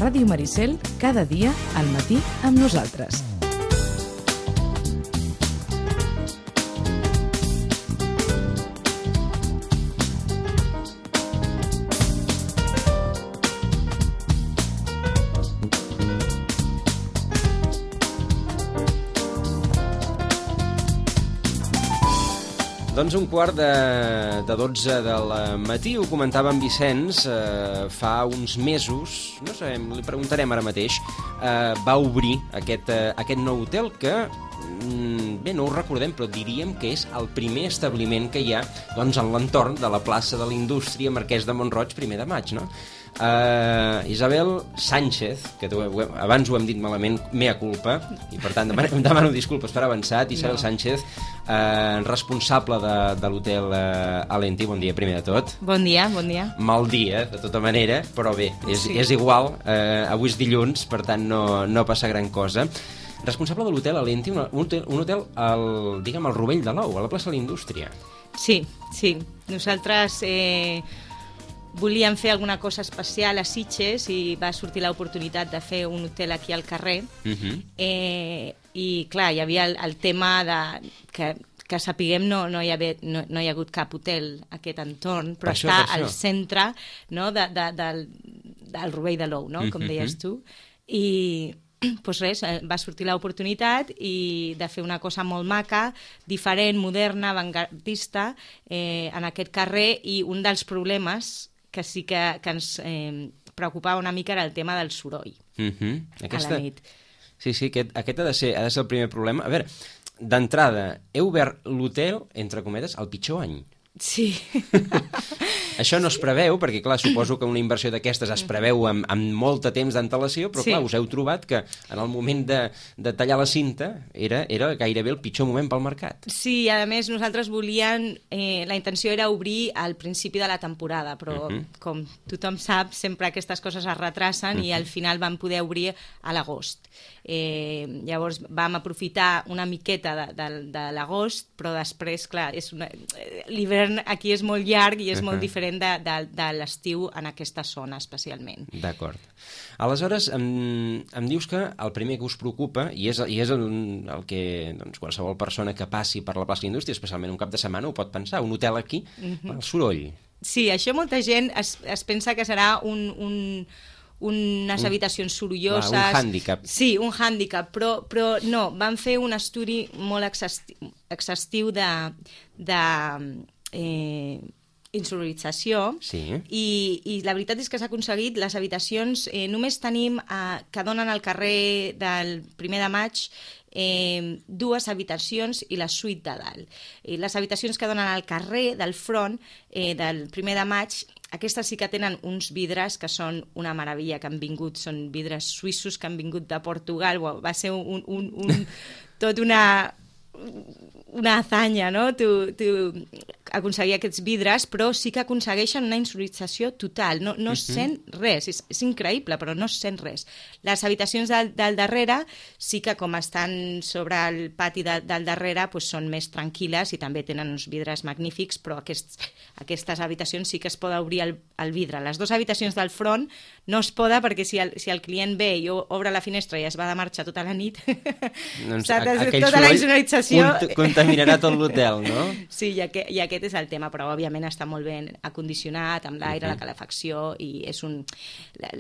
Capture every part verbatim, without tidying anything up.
Ràdio Maricel, cada dia al matí amb nosaltres. Doncs un quart de, de dotze del matí, ho comentava en Vicenç, eh, fa uns mesos, no sabem, li preguntarem ara mateix, eh, va obrir aquest, eh, aquest nou hotel que, mm, bé, no ho recordem, però diríem que és el primer establiment que hi ha doncs, en l'entorn de la plaça de la Indústria Marquès de Mont-roig, primer de maig, no? Uh, Isabel Sánchez, que tu, abans ho hem dit malament, mea culpa, i per tant demano, demano disculpes per avançat. Isabel no. Sánchez, uh, responsable de, de l'hotel uh, Alenti. Bon dia, primer de tot. Bon dia, bon dia. Mal dia, de tota manera, però bé, és, sí. és igual. Uh, avui és dilluns, per tant no, no passa gran cosa. Responsable de l'hotel Alenti, un hotel, un hotel al, diguem, al Rovell de l'Ou, a la plaça de la Indústria. Sí, sí. Nosaltres eh, volíem fer alguna cosa especial a Sitges i va sortir l'oportunitat de fer un hotel aquí al carrer. Uh-huh. eh, I, clar, hi havia el, el tema de que, que sapiguem no, no, hi ha, no, no hi ha hagut cap hotel a aquest entorn, però per està això, al centre, no, de, de, del, del Rovell de l'Ou, no? Com uh-huh. deies tu. I pues res, va sortir l'oportunitat i de fer una cosa molt maca, diferent, moderna, avantgardista, eh, en aquest carrer, i un dels problemes que sí que, que ens eh, preocupava una mica era el tema del soroll uh-huh. Aquesta... a la nit. Sí, sí, aquest, aquest ha, de ser, ha de ser el primer problema. A veure, d'entrada, heu obert l'hotel, entre cometes, al pitjor any. Sí. Això no es preveu, perquè clar, suposo que una inversió d'aquestes es preveu amb, amb molt de temps d'antelació, però sí. clar, us heu trobat que en el moment de, de tallar la cinta era, era gairebé el pitjor moment pel mercat. Sí, a més nosaltres volíem, eh, la intenció era obrir al principi de la temporada, però uh-huh. com tothom sap, sempre aquestes coses es retracen uh-huh. i al final vam poder obrir a l'agost. Eh, llavors vam aprofitar una miqueta de, de, de l'agost, però després, clar, és una, l'hivern aquí és molt llarg i és uh-huh. molt diferent de, de, de l'estiu en aquesta zona especialment. D'acord. Aleshores, em, em dius que el primer que us preocupa, i és, i és el, el que doncs, qualsevol persona que passi per la plaça d'Indústria, especialment un cap de setmana, ho pot pensar, un hotel aquí, uh-huh. el soroll. Sí, això molta gent es, es pensa que serà un... un unes un, habitacions sorolloses... Clar, un hàndicap. Sí, un hàndicap, però, però no, van fer un estudi molt exhaustiu, exhaustiu de, de eh, insonorització sí. i, i la veritat és que s'ha aconseguit. Les habitacions, eh, només tenim eh, que donen al carrer del primer de maig eh, dues habitacions i la suite de dalt. I les habitacions que donen al carrer del front eh, del primer de maig, aquestes sí que tenen uns vidres que són una meravella, que han vingut, són vidres suïssos que han vingut de Portugal. Va ser un, un, un, tot una, una hazaña, no? Tu, tu aconseguir aquests vidres, però sí que aconsegueixen una insonorització total. No, no es sent res, és, és increïble, però no es sent res. Les habitacions del, del darrere sí que, com estan sobre el pati de, del darrere, pues són més tranquil·les i també tenen uns vidres magnífics, però aquests, aquestes habitacions sí que es pot obrir el, el vidre. Les dues habitacions del front no es poda perquè si el, si el client ve i obre la finestra i es va de marxa tota la nit, doncs a, tota la insonorització cont contaminarà tot l'hotel, no? Sí, i aquest, i aquest és el tema, però òbviament està molt ben acondicionat, amb l'aire, uh-huh. la calefacció, i és un... La,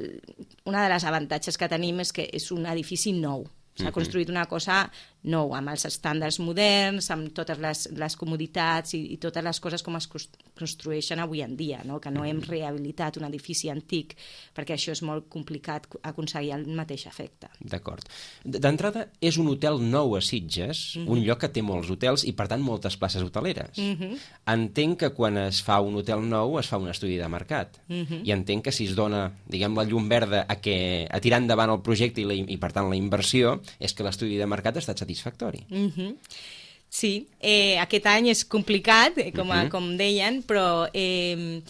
una de les avantatges que tenim és que és un edifici nou. S'ha uh-huh. construït una cosa nou, amb els estàndards moderns, amb totes les, les comoditats i, i totes les coses com es construeixen avui en dia, no? Que no hem rehabilitat un edifici antic, perquè això és molt complicat aconseguir el mateix efecte. D'acord. D'entrada, és un hotel nou a Sitges, uh-huh. un lloc que té molts hotels i, per tant, moltes places hoteleres. Uh-huh. Entenc que quan es fa un hotel nou es fa un estudi de mercat. Uh-huh. I entenc que si es dona, diguem, la llum verda a, que, a tirar endavant el projecte i, la, i per tant, la inversió, és que l'estudi de mercat ha estat satisfactori. Uh-huh. Sí, eh, aquest any és complicat, com, a, uh-huh. com deien, però eh,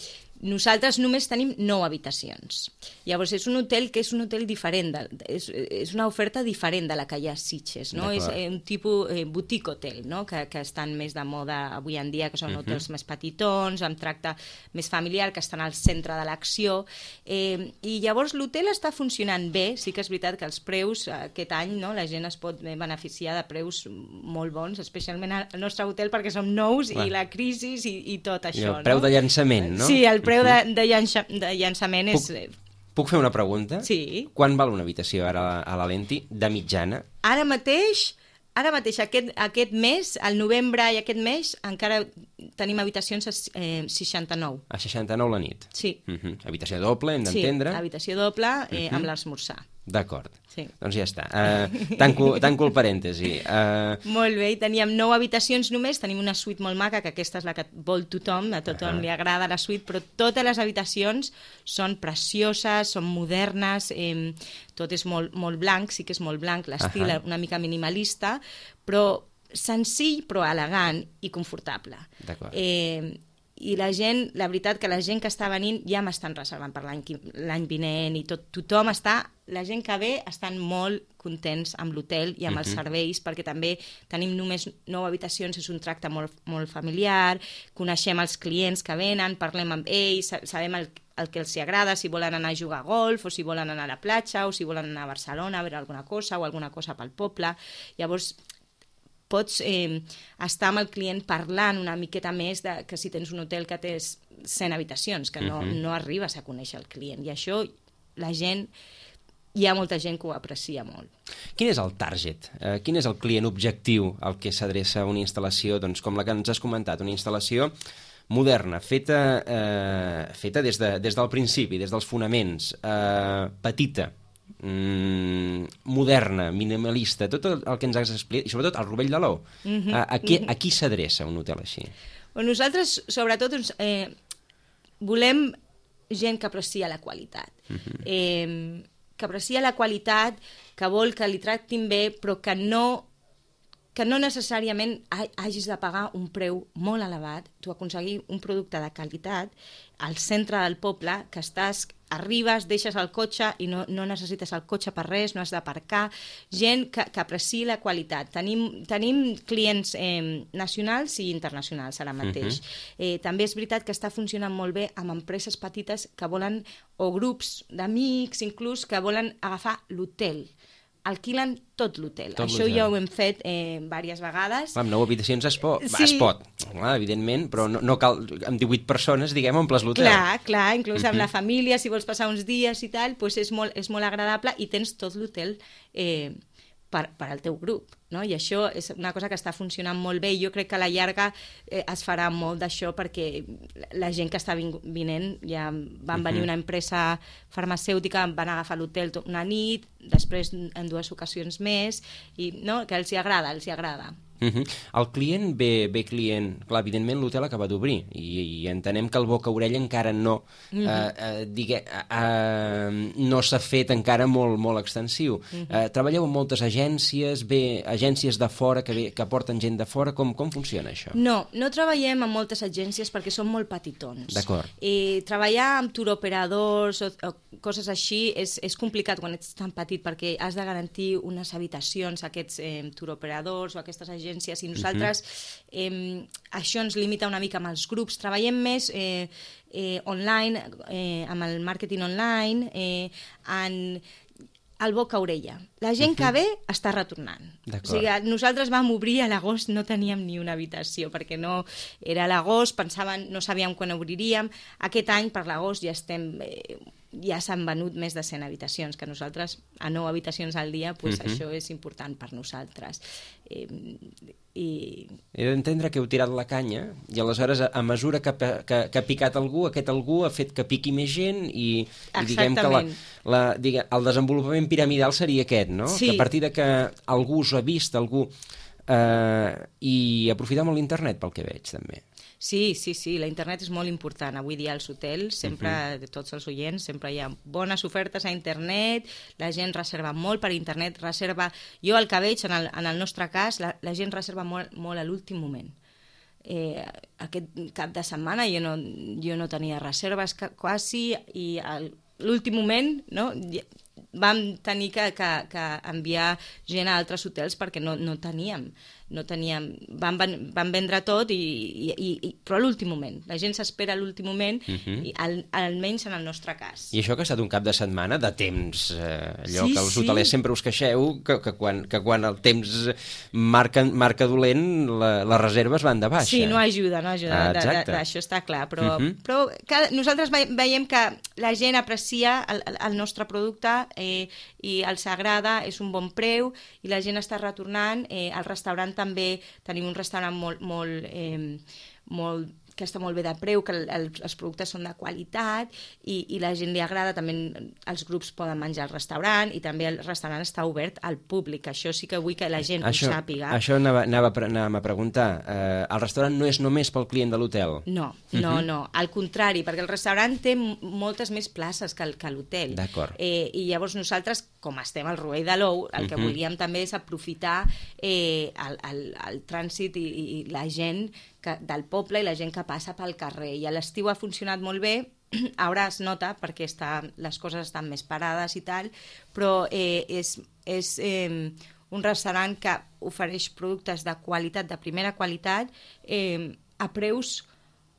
Nosaltres només tenim nou habitacions. Llavors, és un hotel que és un hotel diferent, de, és, és una oferta diferent de la que hi ha a Sitges, no? És un tipus eh, boutique hotel, no? Que, que estan més de moda avui en dia, que són uh -huh. hotels més petitons, amb tracte més familiar, que estan al centre de l'acció. Eh, I llavors l'hotel està funcionant bé, sí que és veritat que els preus, aquest any, no? La gent es pot beneficiar de preus molt bons, especialment al nostre hotel, perquè som nous Clar. i la crisi i, i tot això. I el preu no? de llançament, no? Sí, el preu de, de, llança, de llançament Puc... és... Puc fer una pregunta? Sí. Quan val una habitació ara a la Lenti, de mitjana? Ara mateix, ara mateix aquest, aquest mes, al novembre i aquest mes, encara tenim habitacions a eh, seixanta-nou. A seixanta-nou la nit? Sí. Uh -huh. Habitació doble, hem d'entendre? Sí, habitació doble eh, uh -huh. amb l'esmorzar. D'acord. Sí. Doncs ja està. Uh, tanco, tanco el parèntesi. Uh... Molt bé, teníem nou habitacions només, tenim una suite molt maca, que aquesta és la que vol tothom, a tothom uh -huh. li agrada la suite, però totes les habitacions són precioses, són modernes, eh, tot és molt, molt blanc, sí que és molt blanc, l'estil uh -huh. una mica minimalista, però senzill però elegant i confortable. D'acord. Eh, i la gent, la veritat que la gent que està venint ja m'estan reservant per l'any l'any vinent i tot, tothom està, la gent que ve estan molt contents amb l'hotel i amb uh -huh. els serveis, perquè també tenim només nou habitacions, és un tracte molt, molt familiar, coneixem els clients que venen, parlem amb ells, sabem el, el que els agrada, si volen anar a jugar a golf o si volen anar a la platja o si volen anar a Barcelona a veure alguna cosa o alguna cosa pel poble. Llavors pots eh, estar amb el client parlant una miqueta més de, que si tens un hotel que té cent habitacions, que no, uh-huh. no arribes a conèixer el client. I això la gent, hi ha molta gent que ho aprecia molt. Quin és el target? Eh, quin és el client objectiu al que s'adreça una instal·lació, doncs, com la que ens has comentat, una instal·lació moderna, feta, eh, feta des, de, des del principi, des dels fonaments, eh, petita, Mm, moderna, minimalista, tot el, el que ens has explicat, i sobretot el Rovell de l'Ou. Mm-hmm. A, a, qui, a qui s'adreça un hotel així? Bueno, nosaltres, sobretot, eh, volem gent que aprecia la qualitat. Mm-hmm. eh, que aprecia la qualitat, que vol que li tractin bé, però que no, que no necessàriament hagis de pagar un preu molt elevat, tu aconseguir un producte de qualitat al centre del poble, que estàs, arribes, deixes el cotxe i no, no necessites el cotxe per res, no has d'aparcar, gent que, que apreciï la qualitat. Tenim, tenim clients eh, nacionals i internacionals ara mateix. Uh-huh. eh, també és veritat que està funcionant molt bé amb empreses petites que volen, o grups d'amics inclús, que volen agafar l'hotel. Alquilen tot l'hotel. Això ja ho hem fet eh, diverses vegades. Amb nou habitacions es pot, sí. es pot clar, evidentment, però no, no cal, amb divuit persones, diguem, omples l'hotel. Clar, clar, inclús uh-huh. amb la família, si vols passar uns dies i tal, doncs és molt, és molt agradable i tens tot l'hotel eh, per, per al teu grup, no? I això és una cosa que està funcionant molt bé i jo crec que a la llarga eh, es farà molt d'això perquè la gent que està vinent, ja van venir uh-huh. una empresa farmacèutica, van agafar l'hotel una nit, després en dues ocasions més, i no, que els hi agrada, els hi agrada. Uh-huh. El client ve, ve client, clar, evidentment l'hotel acaba d'obrir i, i entenem que el boca-orella encara no uh-huh. eh, eh, digue, eh, no s'ha fet encara molt, molt extensiu. Uh-huh. Eh, treballeu amb moltes agències, ve agències de fora que, ve, que porten gent de fora, com, com funciona això? No, no treballem amb moltes agències perquè són molt petitons. D'acord. Eh, treballar amb turoperadors o, o coses així és, és complicat quan ets tan petit perquè has de garantir unes habitacions a aquests eh, turoperadors o a aquestes agències i nosaltres uh-huh. eh, això ens limita una mica amb els grups. Treballem més eh, eh, online, eh, amb el màrqueting online, eh, en el boca-orella. La gent uh-huh. que ve està retornant. O sigui, nosaltres vam obrir a l'agost, no teníem ni una habitació, perquè no era l'agost, pensaven, no sabíem quan obriríem. Aquest any, per l'agost, ja estem... Eh, ja s'han venut més de cent habitacions, que nosaltres, a nou habitacions al dia, pues, uh-huh. això és important per nosaltres. Eh, i... He d'entendre que heu tirat la canya i aleshores, a, a mesura que, que, que ha picat algú, aquest algú ha fet que piqui més gent i, i diguem que la, la, digue, el desenvolupament piramidal seria aquest, no? Sí. Que a partir de que algú us ha vist, algú... Eh, i aprofitar molt l'internet, pel que veig, també. Sí, sí, sí, la internet és molt important. Avui dia als hotels, sempre, uh-huh. de tots els oients, sempre hi ha bones ofertes a internet, la gent reserva molt per internet, reserva... Jo el que veig, en el, en el nostre cas, la, la gent reserva molt, molt a l'últim moment. eh, aquest cap de setmana jo no, jo no tenia reserves quasi, i a l'últim moment, no, vam tenir que, que, que enviar gent a altres hotels perquè no, no teníem, no teníem, van, van vendre tot, i, i, i, però a l'últim moment. La gent s'espera a l'últim moment, uh-huh. i al, almenys en el nostre cas. I això que ha estat un cap de setmana de temps, eh, allò sí, que els sí. hotelers sempre us queixeu, que, que, quan, que quan el temps marca, marca dolent, la, les reserves van de baixa. Sí, no ajuda, no ajuda, ah, de, de, de, això està clar, però, uh-huh. però cada, nosaltres veiem que la gent aprecia el, el nostre producte, eh, i els agrada, és un bon preu, i la gent està retornant. Eh, al restaurant també tenim un restaurant molt, molt, eh, molt que està molt bé de preu, que el, el, els productes són de qualitat, i, i la gent li agrada. També els grups poden menjar al restaurant, i també el restaurant està obert al públic. Això sí que vull que la gent això, ho sàpiga. Això anava, anava, anava a preguntar. Eh, el restaurant no és només pel client de l'hotel? No, no, uh-huh. no. Al contrari, perquè el restaurant té moltes més places que, que l'hotel. D'acord. Eh, I llavors nosaltres, com estem al Rovell de l'Ou, el que uh-huh. volíem també és aprofitar eh, el, el, el trànsit i, i la gent que, del poble, i la gent que passa pel carrer. I a l'estiu ha funcionat molt bé, ara es nota perquè està, les coses estan més parades i tal, però eh, és, és eh, un restaurant que ofereix productes de qualitat, de primera qualitat, eh, a preus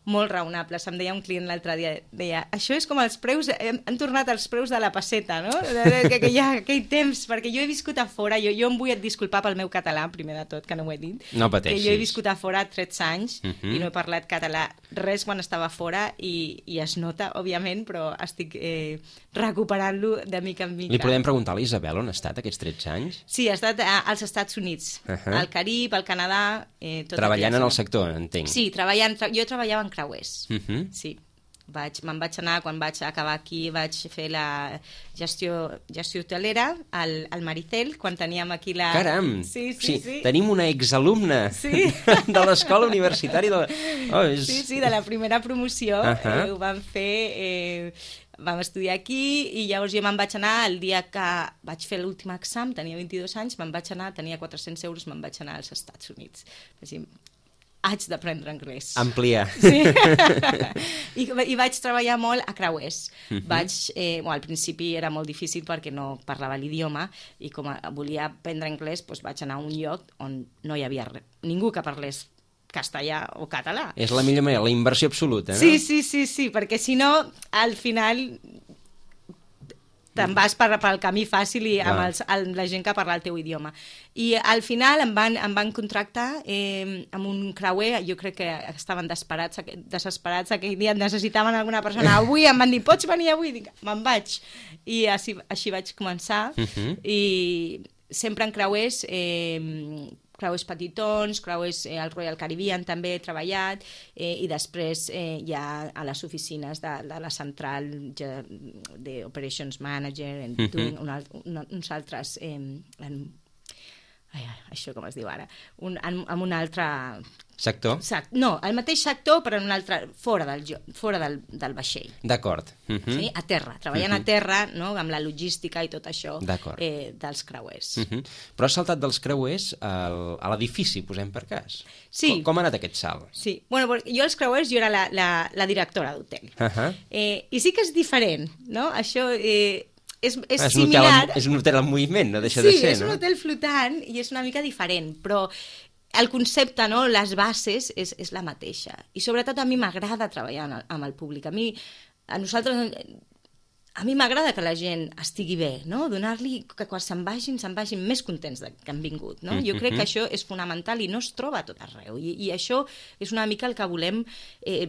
molt raonables. Em deia un client l'altre dia, deia, això és com els preus, han tornat els preus de la pesseta, no? Que, que hi ha aquell temps, perquè jo he viscut a fora, jo, jo em vull disculpar pel meu català, primer de tot, que no ho he dit. No pateixis. Que jo he viscut a fora tretze anys, uh-huh. i no he parlat català res quan estava fora, i, i es nota, òbviament, però estic eh, recuperant-lo de mica en mica. Li podem preguntar a l'Isabel on ha estat aquests tretze anys? Sí, ha estat als Estats Units, uh-huh. al Carib, al Canadà... Eh, tot treballant en el sector, entenc. Sí, treballant, tra jo treballava en creuers, uh-huh. sí. Vaig, me'n vaig anar, quan vaig acabar aquí, vaig fer la gestió, gestió hotelera al, al Maricel, quan teníem aquí la... Caram! Sí, sí, sí. sí. Tenim una exalumna sí. de l'escola universitària. De... Oh, és... Sí, sí, de la primera promoció. Uh-huh. eh, ho vam fer... Eh, vam estudiar aquí, i llavors jo me'n vaig anar el dia que vaig fer l'últim exam, tenia vint-i-dos anys, me'n vaig anar, tenia quatre-cents euros, me'n vaig anar als Estats Units. Així, haig d'aprendre anglès. Ampliar. Sí. I, I vaig treballar molt a creuers. Uh-huh. Vaig, eh, bueno, al principi era molt difícil perquè no parlava l'idioma, i com a, volia aprendre anglès, doncs vaig anar a un lloc on no hi havia res, ningú que parlés castellà o català. És la millor manera, la inversió absoluta, no? Sí, sí, sí, sí, perquè si no, al final te'n vas per, pel camí fàcil i amb, els, amb la gent que parla el teu idioma. I al final em van, em van contractar eh, amb un creuer, jo crec que estaven desesperats, desesperats aquell dia, necessitaven alguna persona. Avui em van dir, pots venir avui? Dic, me'n vaig. I així, així vaig començar. Uh-huh. I sempre en creuers... Eh, creuers petitons, creuers eh, al Royal Caribbean també he treballat, eh, i després eh, ja a les oficines de, de la central ja, de Operations Manager, en, mm-hmm. un, un, uns altres... Eh, en, ai, això com es diu ara? Un, en, en un altre... Sector? No, el mateix sector, però en un altre, fora del, fora del, del vaixell. D'acord. Uh-huh. Sí? A terra, treballant uh-huh. a terra, no? Amb la logística i tot això eh, dels creuers. Uh-huh. Però has saltat dels creuers al, a l'edifici, posem per cas. Sí. Com, com ha anat aquest salt? Sí. Bueno, jo als creuers jo era la, la, la directora d'hotel. Uh-huh. Eh, I sí que és diferent, no? Això... Eh, És, és, és, similar... un hotel, és un hotel en moviment, no deixa sí, de ser, no? Sí, és un hotel flotant i és una mica diferent, però el concepte, no, les bases, és, és la mateixa. I sobretot a mi m'agrada treballar amb el públic. A mi, a nosaltres, a mi m'agrada que la gent estigui bé, no? Donar-li que quan se'n vagin, se'n vagin més contents de, que han vingut, no? Jo crec que això és fonamental i no es troba a tot arreu. I, i això és una mica el que volem... Eh,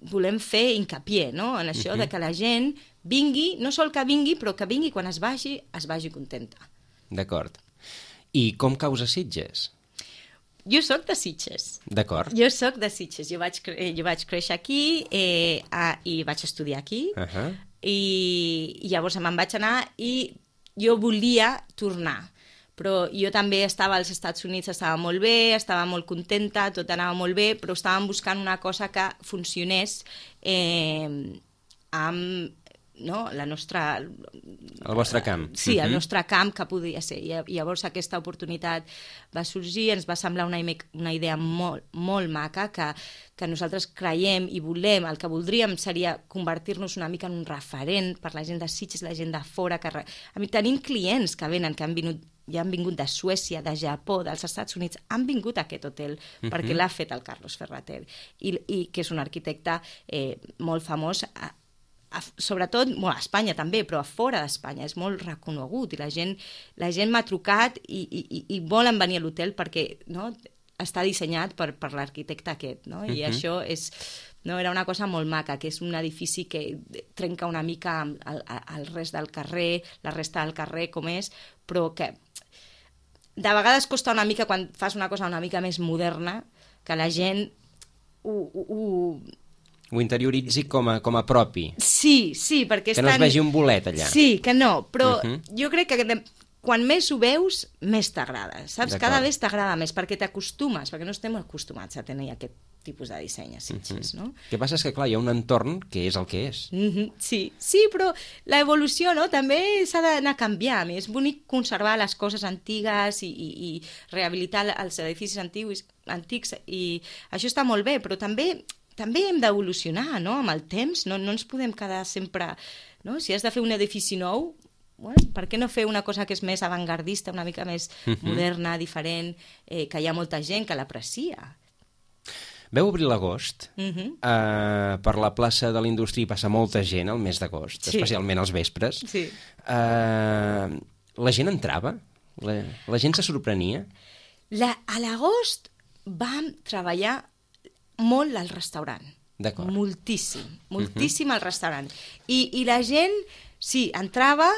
volem fer hincapié, no? En això uh-huh. de que la gent vingui, no sol que vingui, però que vingui quan es vagi, es vagi contenta. D'acord. I com caus a Sitges? Jo sóc de Sitges. D'acord. Jo sóc de Sitges. Jo vaig, cre jo vaig créixer aquí eh, a, i vaig estudiar aquí. Uh-huh. I, I llavors me'n vaig anar i jo volia tornar. Però jo també estava als Estats Units, estava molt bé, estava molt contenta, tot anava molt bé, però estàvem buscant una cosa que funcionés eh, amb no? la nostra... El vostre camp. Sí, el nostre camp que podria ser. I llavors aquesta oportunitat va sorgir, ens va semblar una, una idea molt, molt maca, que, que nosaltres creiem i volem, el que voldríem seria convertir-nos una mica en un referent per la gent de Sitges, la gent de fora. Que... A mi tenim clients que venen, que han vingut ja han vingut de Suècia, de Japó, dels Estats Units, han vingut a aquest hotel uh-huh. perquè l'ha fet el Carlos Ferrater, i, i que és un arquitecte eh, molt famós, a, a, sobretot bueno, a Espanya també, però a fora d'Espanya, és molt reconegut, i la gent, la gent m'ha trucat i, i, i volen venir a l'hotel perquè no, està dissenyat per, per l'arquitecte aquest, no? I uh-huh. això és... No, era una cosa molt maca, que és un edifici que trenca una mica el, el rest del carrer, la resta del carrer com és, però que de vegades costa una mica quan fas una cosa una mica més moderna, que la gent ho... ho, ho... ho interioritzi com a, com a propi. Sí, sí, perquè... Que no tan... es vegi un bolet allà. Sí, que no, però uh-huh. jo crec que de... quan més ho veus, més t'agrada, saps? Cada vegada t'agrada més, perquè t'acostumes, perquè no estem acostumats a tenir aquest tipus de disseny a Sitges, uh-huh. no? El que passa és que, clar, hi ha un entorn que és el que és. Uh-huh. Sí, sí, però l'evolució no? també s'ha d'anar canviant. És bonic conservar les coses antigues i, i, i rehabilitar els edificis antics, antics, i això està molt bé, però també també hem d'evolucionar, no?, amb el temps. No, no ens podem quedar sempre... No? Si has de fer un edifici nou, bueno, per què no fer una cosa que és més avantgardista, una mica més uh-huh. moderna, diferent, eh, que hi ha molta gent que l'aprecia. Veu obrir l'agost, uh-huh. uh, per la plaça de la Indústria hi passa molta gent al mes d'agost, sí. especialment als vespres. Sí. Uh, la gent entrava? La, la gent se sorprenia? La, a l'agost vam treballar molt al restaurant. D'acord. Moltíssim, moltíssim uh-huh. al restaurant. I, I la gent, sí, entrava,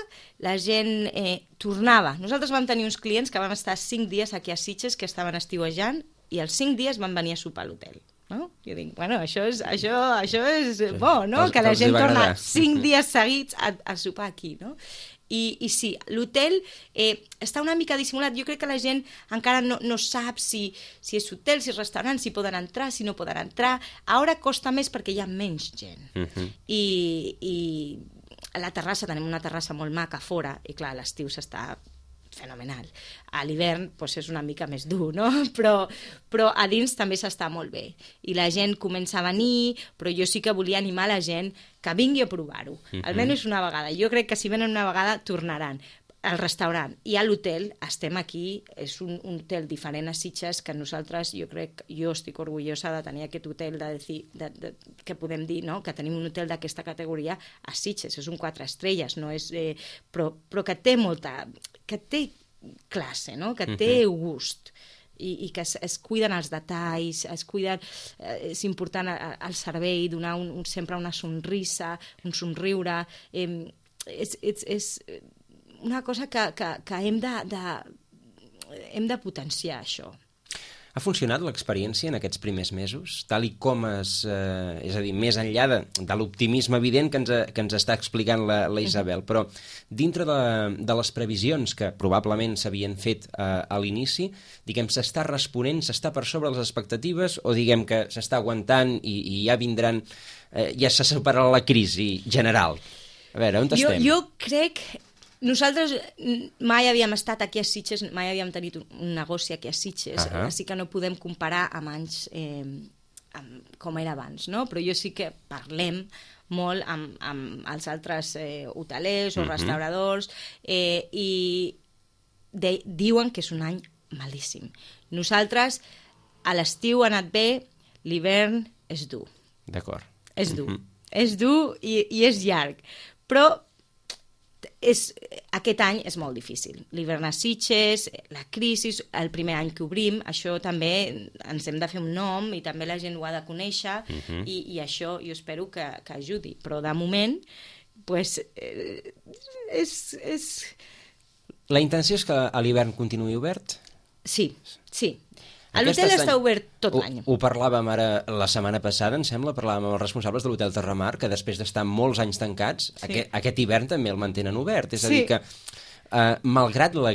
la gent eh, tornava. Nosaltres vam tenir uns clients que vam estar cinc dies aquí a Sitges, que estaven estiuejant, i els cinc dies van venir a sopar a l'hotel. No? Jo dic, bueno, això és, això, això és bo, no? Els, que la gent torna agradar. cinc dies seguits a, a sopar aquí, no? I, i sí, l'hotel eh, està una mica dissimulat. Jo crec que la gent encara no, no sap si, si és hotel, si és restaurant, si poden entrar, si no poden entrar. Ara costa més perquè hi ha menys gent. Uh-huh. I, i a la terrassa, tenim una terrassa molt maca a fora, i clar, a l'estiu s'està fenomenal. A l'hivern doncs, és una mica més dur, no? Però, però a dins també s'està molt bé. I la gent comença a venir, però jo sí que volia animar la gent que vingui a provar-ho. Uh-huh. Almenys una vegada. Jo crec que si venen una vegada, tornaran. Al restaurant i a l'hotel, estem aquí, és un, un hotel diferent a Sitges, que nosaltres, jo crec, jo estic orgullosa de tenir aquest hotel, de, de, de, que podem dir, no?, que tenim un hotel d'aquesta categoria a Sitges, és un quatre estrelles, no és, eh, però, però que té molta, que té classe, no?, que té uh-huh. gust, i, i que es, es cuiden els detalls, es cuiden, eh, és important el servei, donar un, un, sempre una sonrisa, un somriure, eh, és... és, és una cosa que, que, que hem de, de, hem de potenciar, això. Ha funcionat l'experiència en aquests primers mesos? Tal i com es... Eh, és a dir, més enllà de, de l'optimisme evident que ens, que ens està explicant la, la Isabel, però dintre de, de les previsions que probablement s'havien fet eh, a l'inici, diguem, s'està responent, s'està per sobre les expectatives, o diguem que s'està aguantant i, i ja vindran... Eh, ja s'ha superat la crisi general? A veure, on estem? Jo, jo crec... Nosaltres mai havíem estat aquí a Sitges, mai havíem tenit un negoci aquí a Sitges, uh-huh. així que no podem comparar amb anys eh, amb com era abans, no? Però jo sí que parlem molt amb, amb els altres eh, hotelers o uh-huh. restauradors eh, i de, diuen que és un any malíssim. Nosaltres a l'estiu ha anat bé, l'hivern és dur. D'acord. És dur. Uh-huh. És dur i, i és llarg. Però és, aquest any és molt difícil. L'hivern a Sitges, la crisi, el primer any que obrim, això també ens hem de fer un nom i també la gent ho ha de conèixer uh-huh. i, i això jo espero que, que ajudi. Però de moment, pues, eh, és, és... La intenció és que a l'hivern continuï obert? Sí, sí. L'hotel està obert tot l'any. Ho, ho parlàvem ara la setmana passada, em sembla, parlàvem amb els responsables de l'Hotel Terramar, que després d'estar molts anys tancats, sí. aquest, aquest hivern també el mantenen obert. És a dir, sí. que eh, malgrat la,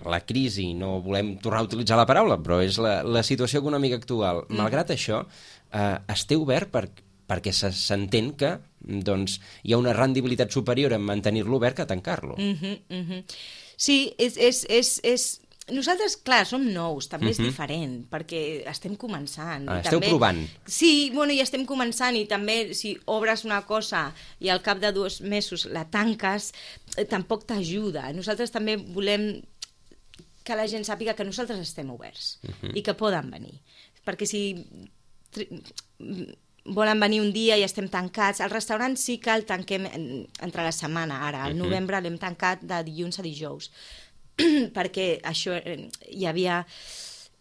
la crisi, no volem tornar a utilitzar la paraula, però és la, la situació econòmica actual, mm. malgrat això, eh, es té obert per, perquè se- s'entén que doncs, hi ha una rendibilitat superior en mantenir-lo obert que a tancar-lo. Mhm, mhm. Sí, és, és, és, és... Nosaltres, clar, som nous, també Mhm. és diferent, perquè estem començant. Ah, i esteu també... provant. Sí, bueno, i estem començant, i també si obres una cosa i al cap de dos mesos la tanques, eh, tampoc t'ajuda. Nosaltres també volem que la gent sàpiga que nosaltres estem oberts Mhm. i que poden venir. Perquè si tri- volen venir un dia i estem tancats, al restaurant sí que el tanquem en- entre la setmana, ara, al Mhm. novembre l'hem tancat de dilluns a dijous, perquè això eh, hi havia...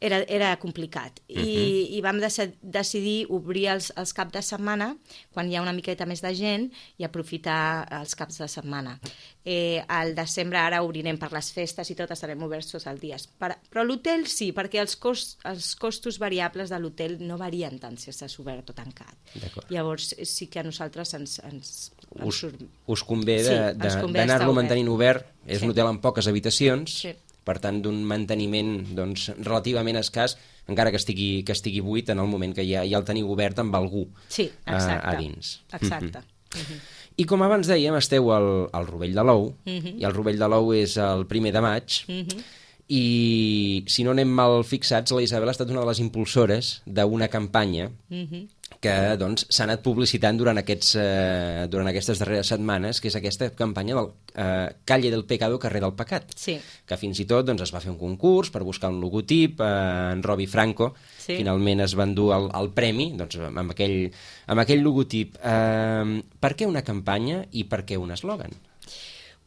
Era, era complicat. I, Mhm. i vam dec decidir obrir els, els caps de setmana, quan hi ha una miqueta més de gent, i aprofitar els caps de setmana. Eh, al desembre ara obrirem per les festes i tot, estarem oberts tots els dies. Per, però l'hotel sí, perquè els, cost, els costos variables de l'hotel no varien tant si estàs obert o tancat. D'acord. Llavors sí que a nosaltres ens, ens, ens Us, surt... us convé Sí, de- ens de- convé d'anar-lo estar obert. mantenint obert. És Sí. un hotel amb poques habitacions, Sí. per tant, d'un manteniment doncs, relativament escàs, encara que estigui, que estigui buit en el moment que ja, ja el teniu obert amb algú Sí, a, exacte. a dins. Exacte. Mhm. Mhm. I com abans dèiem, esteu al, al Rovell de l'Ou, Mhm. i el Rovell de l'Ou és el primer de maig, Mhm. i si no anem mal fixats, la Isabel ha estat una de les impulsores d'una campanya Mhm. que doncs, s'ha anat publicitant durant, aquests, eh, durant aquestes darreres setmanes, que és aquesta campanya del eh, Calle del Pecado, carrer del pecat, Sí. que fins i tot doncs, es va fer un concurs per buscar un logotip, eh, en Robi Franco Sí. finalment es va endur el, el premi doncs, amb, aquell, amb aquell logotip. Eh, per què una campanya i per què un eslògan?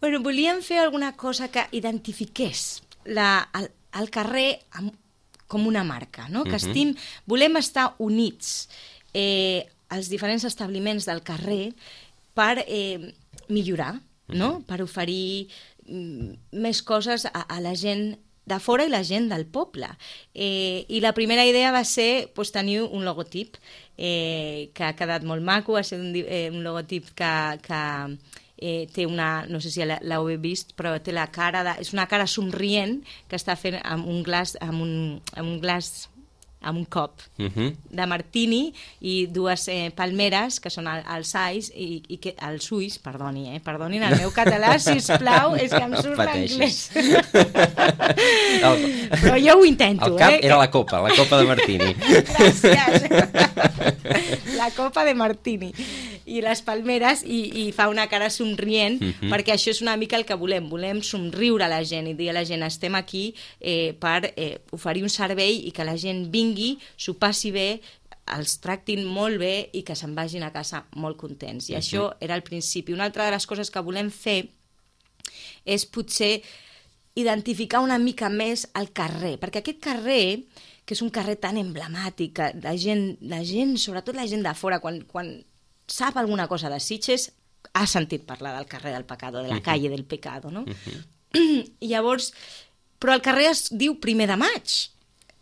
Bueno, volíem fer alguna cosa que identifiqués la, el, el carrer amb, com una marca, no? Que Mhm. estim, volem estar units eh, els diferents establiments del carrer per eh, millorar, no? Per oferir mm, més coses a, a la gent de fora i la gent del poble. Eh, I la primera idea va ser pues, tenir un logotip eh, que ha quedat molt maco, ha sigut un, di- eh, un logotip que, que eh, té una, no sé si la- l'heu vist, però té la cara, de, és una cara somrient que està fent amb un glaç, amb un, amb un glaç, amb un cop Uh -huh. de martini i dues eh, palmeres, que són el- els ais, i, i que, els ulls, perdoni, eh? Perdonin el meu català, sisplau, és que em surt l'anglès. El- Però jo ho intento, El cap eh? era la copa, la copa de Martini. Gràcies. La copa de martini. I les palmeres, i, i fa una cara somrient, Mhm. perquè això és una mica el que volem. Volem somriure a la gent i dir a la gent estem aquí eh, per eh, oferir un servei i que la gent vingui, s'ho passi bé, els tractin molt bé i que se'n vagin a casa molt contents. I Mhm. això era el principi. Una altra de les coses que volem fer és potser identificar una mica més el carrer, perquè aquest carrer, que és un carrer tan emblemàtic, que la gent, la gent sobretot la gent de fora, quan, quan sap alguna cosa de Sitges, ha sentit parlar del carrer del Pecado, de la calle del Pecado, no? I llavors, però el carrer es diu primer de maig,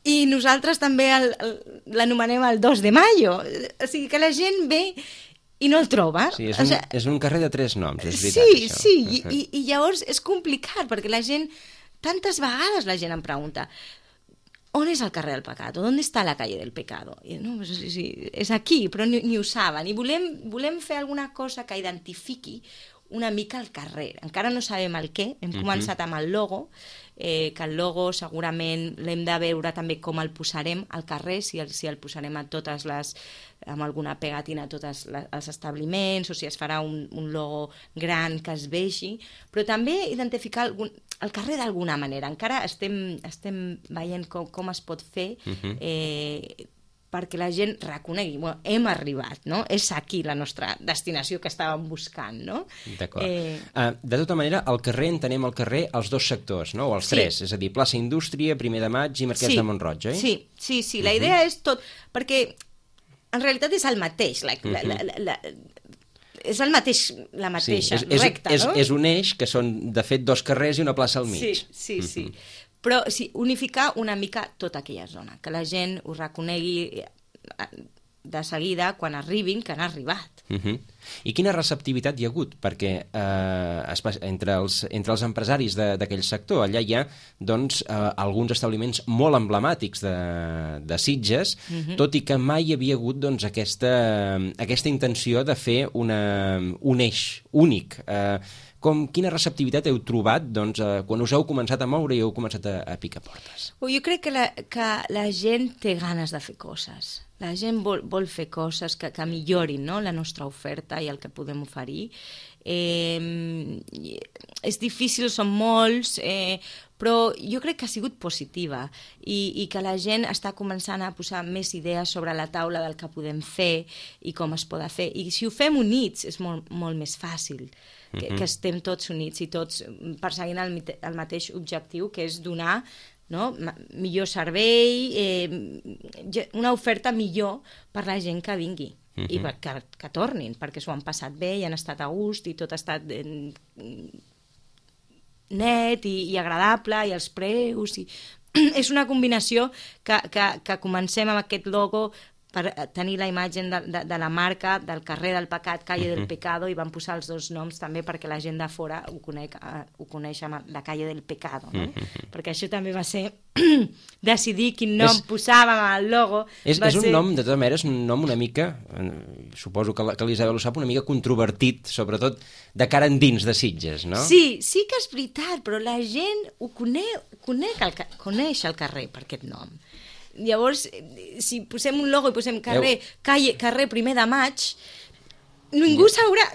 i nosaltres també el- el- l'anomenem el dos de mayo, o sigui que la gent ve i no el troba. Sí, és O un, sigui, és un carrer de tres noms, és veritat, sí, això. sí, i, i, i llavors és complicat, perquè la gent, tantes vegades la gent em pregunta on és el carrer del Pecado? ¿Dónde está la calle del Pecado? I, no, pues, sí, sí, és aquí, però ni, ni ho saben. I volem, volem fer alguna cosa que identifiqui una mica el carrer. Encara no sabem el què, hem Mhm. començat amb el logo, eh, que el logo segurament l'hem de veure també com el posarem al carrer, si el, si el posarem a totes les, amb alguna pegatina a tots les, els establiments, o si es farà un, un logo gran que es vegi, però també identificar algun, el carrer d'alguna manera. Encara estem, estem veient com, com es pot fer Mhm. eh, perquè la gent reconegui, bueno, hem arribat, no? És aquí la nostra destinació que estàvem buscant, no? D'acord. Eh, Uh, de tota manera, al carrer entenem el carrer els dos sectors, no? O els Sí. tres, és a dir, plaça Indústria, primer de maig i Marquès sí, de Montroig, oi? Sí, sí, sí, la idea és tot, perquè en realitat és el mateix, la, la, la, la, la, és el mateix, la mateixa, és, és, recta, és, no? és un eix que són, de fet, dos carrers i una plaça al mig. Sí, sí, sí. Però sí, unificar una mica tota aquella zona, que la gent ho reconegui, de seguida quan arribin que han arribat. Uh -huh. I quina receptivitat hi ha hagut? Perquè eh, entre, els, entre els empresaris d'aquell sector allà hi ha doncs, eh, alguns establiments molt emblemàtics de, de Sitges, uh -huh. tot i que mai hi havia hagut doncs, aquesta, aquesta intenció de fer una, un eix únic. Eh, com, quina receptivitat heu trobat doncs, eh, quan us heu començat a moure i heu començat a, a picar portes? Jo crec que la, que la gent té ganes de fer coses. La gent vol, vol fer coses que, que millorin, no?, la nostra oferta i el que podem oferir. Eh, és difícil, són molts, eh, però jo crec que ha sigut positiva i, i que la gent està començant a posar més idees sobre la taula del que podem fer i com es pot fer. I si ho fem units és molt, molt més fàcil, que, uh-huh. que estem tots units i tots perseguint el, el mateix objectiu, que és donar, no?, millor servei, eh, una oferta millor per la gent que vingui. Uh -huh. I per, que, que tornin, perquè s'ho han passat bé i han estat a gust i tot ha estat eh, net i, i agradable i els preus i... és una combinació que, que, que comencem amb aquest logo per tenir la imatge de, de, de la marca del carrer del pecat, calle uh -huh. del pecado, i van posar els dos noms també perquè la gent de fora ho coneix, ho coneix amb la calle del pecado, no? Uh -huh. Perquè això també va ser decidir quin nom és, posàvem al logo. És, va és un ser... nom, de tota manera, és un nom una mica, eh, suposo que, que l'Isabel ho sap, una mica controvertit, sobretot de cara endins de Sitges, no? Sí, sí que és veritat, però la gent ho coneix, coneix, el, coneix el carrer per aquest nom. Llavors, si posem un logo i posem carrer, Heu... calle, carrer primer de maig, ningú sabrà...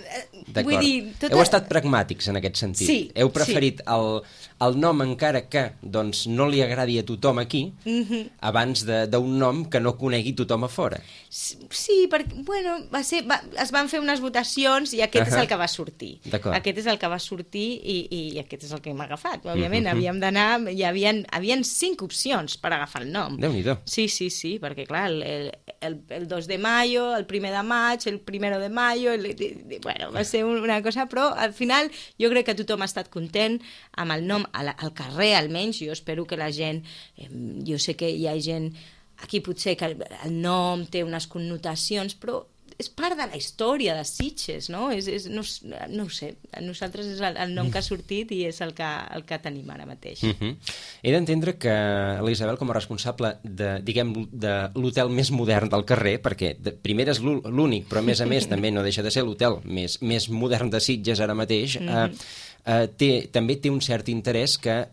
Vull dir, tota... Heu estat pragmàtics en aquest sentit. Sí, Heu preferit sí. el, el nom, encara que doncs, no li agradi a tothom aquí, uh-huh. abans d'un nom que no conegui tothom a fora. Sí, perquè, bueno, va ser, va, es van fer unes votacions i aquest uh-huh. és el que va sortir. Aquest és el que va sortir i, i aquest és el que hem agafat. Òbviament, uh-huh. havíem d'anar... Hi havia, havien cinc opcions per agafar el nom. Déu-n'hi-do. Sí, sí, sí, perquè, clar, el, el, el dos de mayo, el primer de maig, el primero de mayo... El, bueno, va ser una cosa, però al final jo crec que tothom ha estat content amb el nom al, al carrer, almenys. Jo espero que la gent... Eh, jo sé que hi ha gent... Aquí potser que el, el nom té unes connotacions, però és part de la història de Sitges, no? És, és, no, no ho sé, a nosaltres és el, el nom que ha sortit i és el que, el que tenim ara mateix. Uh -huh. He d'entendre que l'Isabel, com a responsable de, diguem, de l'hotel més modern del carrer, perquè de, primer és l'únic, però a més a més també no deixa de ser l'hotel més, més modern de Sitges ara mateix, uh -huh. eh, eh, té, també té un cert interès que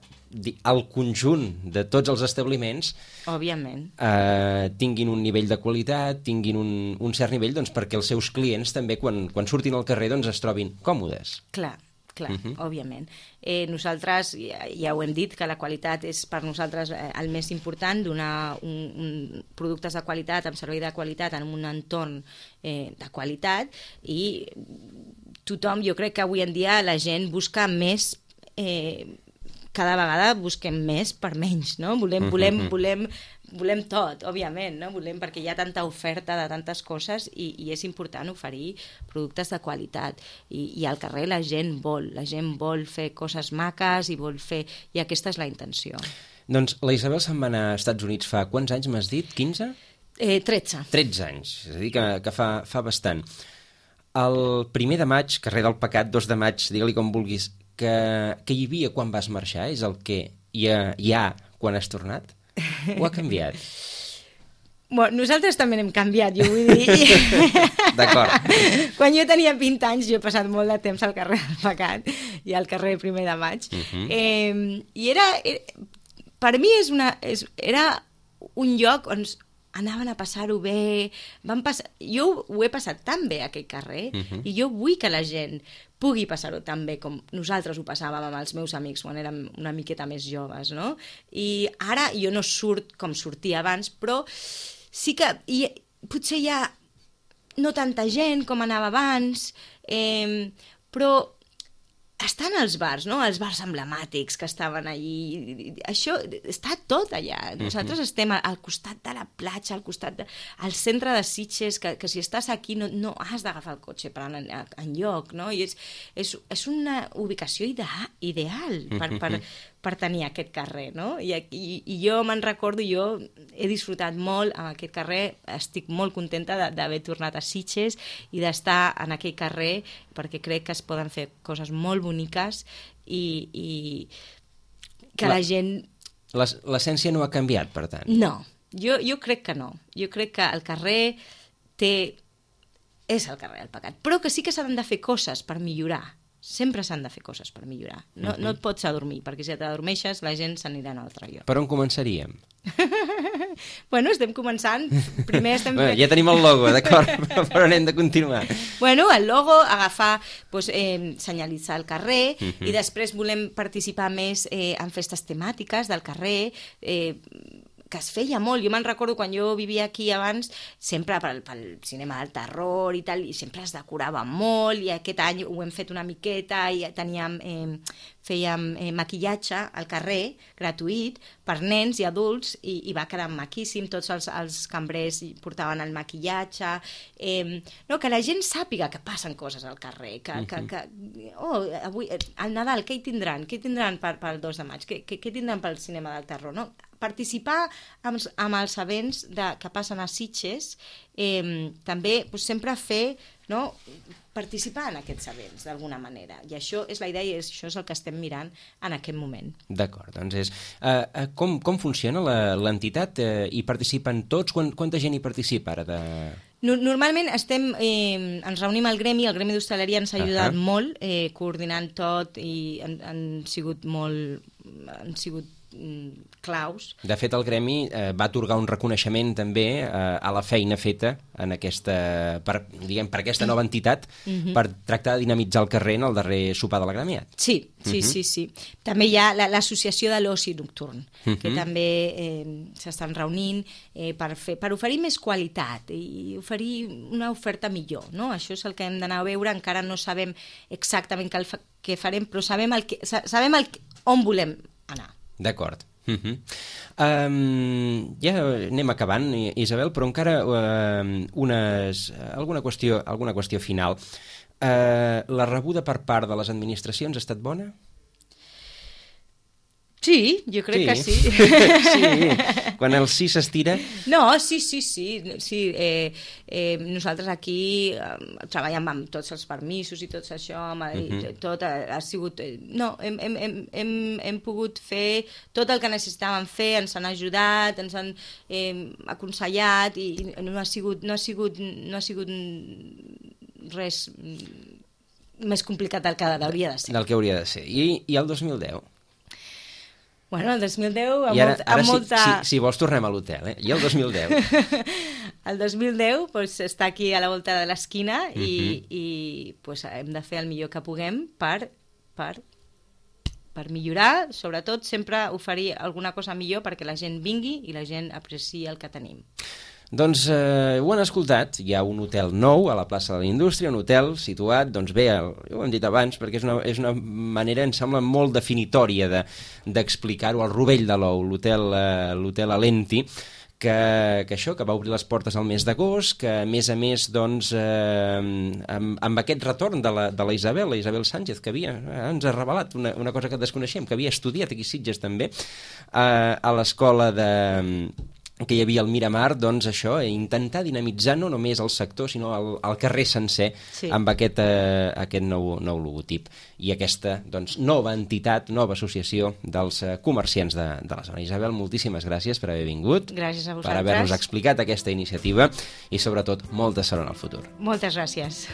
el conjunt de tots els establiments òbviament eh, tinguin un nivell de qualitat, tinguin un, un cert nivell, doncs, perquè els seus clients també quan, quan surtin al carrer doncs, es trobin còmodes. Clar, clar, uh -huh. òbviament. Eh, nosaltres, ja, ja ho hem dit, que la qualitat és per nosaltres eh, el més important, donar un, un, productes de qualitat, amb servei de qualitat, en un entorn eh, de qualitat, i tothom, jo crec que avui en dia la gent busca més... Eh, cada vegada busquem més per menys, no? Volem, volem, volem, volem tot, òbviament, no? Volem, perquè hi ha tanta oferta de tantes coses i, i és important oferir productes de qualitat. I, i al carrer la gent vol, la gent vol fer coses maques i vol fer... I aquesta és la intenció. Doncs la Isabel se'n va anar als Estats Units fa quants anys, m'has dit? quinze? Eh, tretze. tretze anys, és a dir, que, que fa, fa bastant. El primer de maig, carrer del Pecat, dos de maig, digue-li com vulguis, que, que hi havia quan vas marxar és el que hi ha, hi ha quan has tornat? O ha canviat? Bueno, nosaltres també n'hem canviat, jo vull dir... D'acord. Quan jo tenia vint anys, jo he passat molt de temps al carrer del Pecat i al carrer primer de maig. Uh-huh. eh, I era, era... Per mi és una, és, era un lloc on anaven a passar-ho bé... Van passar, jo ho he passat tan bé, aquell carrer, uh-huh. i jo vull que la gent pugui passar-ho tan bé com nosaltres ho passàvem amb els meus amics quan érem una miqueta més joves, no? I ara jo no surt com sortia abans, però sí que hi, potser hi ha no tanta gent com anava abans, eh, però estan els bars, no? Els bars emblemàtics que estaven allí. Això està tot allà. Nosaltres uh-huh. estem al costat de la platja, al costat de, al centre de Sitges, que, que si estàs aquí no, no has d'agafar el cotxe per anar en, en lloc, no? I és, és, és una ubicació ideal, ideal per, per, per tenir aquest carrer, no? I, i, i jo me'n recordo, jo he disfrutat molt amb aquest carrer, estic molt contenta d'haver tornat a Sitges i d'estar en aquell carrer, perquè crec que es poden fer coses molt boniques i, i que la, la gent... L'essència no ha canviat, per tant? No, jo, jo crec que no. Jo crec que el carrer té... és el carrer del pecat, però que sí que s'han de fer coses per millorar. Sempre s'han de fer coses per millorar. No, uh -huh. no et pots adormir, perquè si t'adormeixes la gent s'anirà a un altre lloc. Per on començaríem? Bueno, estem començant. Primer estem... bueno, ja tenim el logo, d'acord, però anem de continuar. Bueno, el logo, agafar, doncs, eh, senyalitzar el carrer, uh -huh. i després volem participar més eh, en festes temàtiques del carrer, eh, que es feia molt. Jo me'n recordo quan jo vivia aquí abans, sempre pel, pel cinema del terror i tal, i sempre es decorava molt, i aquest any ho hem fet una miqueta, i teníem, eh, fèiem eh, maquillatge al carrer, gratuït, per nens i adults, i, i va quedar maquíssim, tots els, els cambrers portaven el maquillatge, eh, no, que la gent sàpiga que passen coses al carrer, que, uh -huh. que, que oh, avui, al Nadal, què hi tindran? Què hi tindran per, pel dos de maig? Què, què, què tindran pel cinema del terror? No? Participar amb, amb els events de, que passen a Sitges, eh, també doncs, sempre fer, no, participar en aquests events d'alguna manera, i això és la idea i això és el que estem mirant en aquest moment. D'acord, doncs és... Uh, com, com funciona l'entitat? Uh, hi participen tots? Quant, quanta gent hi participa ara? De... Normalment estem, eh, ens reunim al gremi, el gremi d'hostaleria ens ha ajudat uh -huh. molt, eh, coordinant tot, i han, han sigut molt... han sigut claus. De fet, el gremi eh, va atorgar un reconeixement també eh, a la feina feta en aquesta, per, diguem, per aquesta nova entitat, uh-huh. per tractar de dinamitzar el carrer en el darrer sopar de la Gremiat. Sí, sí, uh-huh. sí, sí. També hi ha l'associació la, de l'oci nocturn, uh-huh. que també eh, s'estan reunint eh, per, fer, per oferir més qualitat i oferir una oferta millor, no? Això és el que hem d'anar a veure, encara no sabem exactament què, què farem, però sabem, el que, sabem el, on volem anar. D'acord. Uh -huh. um, ja anem acabant, Isabel, però encara uh, unes, alguna, qüestió, alguna qüestió final. Uh, la rebuda per part de les administracions ha estat bona? Sí, jo crec sí. que sí. Sí, quan el sí s'estira... No, sí, sí, sí. sí eh, eh, nosaltres aquí eh, treballem amb tots els permisos i tot això, amb, uh -huh. tot ha, ha sigut... Eh, no, hem, hem, hem, hem, hem pogut fer tot el que necessitàvem fer, ens han ajudat, ens han eh, aconsellat, i, i no ha sigut, no ha sigut, no ha sigut res més complicat del que hauria de ser. Del que hauria de ser. I, i el dos mil deu? Bueno, el dos mil deu amb, I ara, molt, ara amb si, molta... si, si vols tornem a l'hotel, eh? I el dos mil deu? El dos mil deu pues, està aquí a la volta de l'esquina, uh-huh. i, i pues, hem de fer el millor que puguem per, per, per millorar, sobretot sempre oferir alguna cosa millor perquè la gent vingui i la gent apreciï el que tenim. Doncs eh, ho han escoltat, hi ha un hotel nou a la plaça de la Indústria, un hotel situat, doncs bé, el, ho hem dit abans, perquè és una, és una manera, em sembla, molt definitòria de, d'explicar-ho, al rovell de l'ou, l'hotel eh, l'hotel Alenti, que, que això, que va obrir les portes al mes d'agost, que a més a més, doncs, eh, amb, amb aquest retorn de la, de la Isabel, la Isabel Sánchez, que havia, eh, ens ha revelat una, una cosa que desconeixem, que havia estudiat aquí a Sitges també, eh, a l'escola de... que hi havia al Miramar, doncs això, intentar dinamitzar no només el sector, sinó el, el carrer sencer, sí. amb aquest, eh, aquest nou, nou logotip. I aquesta doncs, nova entitat, nova associació dels eh, comerciants de, de la zona. Isabel, moltíssimes gràcies per haver vingut. Gràcies a vosaltres. Per haver-nos explicat aquesta iniciativa i, sobretot, molta sort en el futur. Moltes gràcies.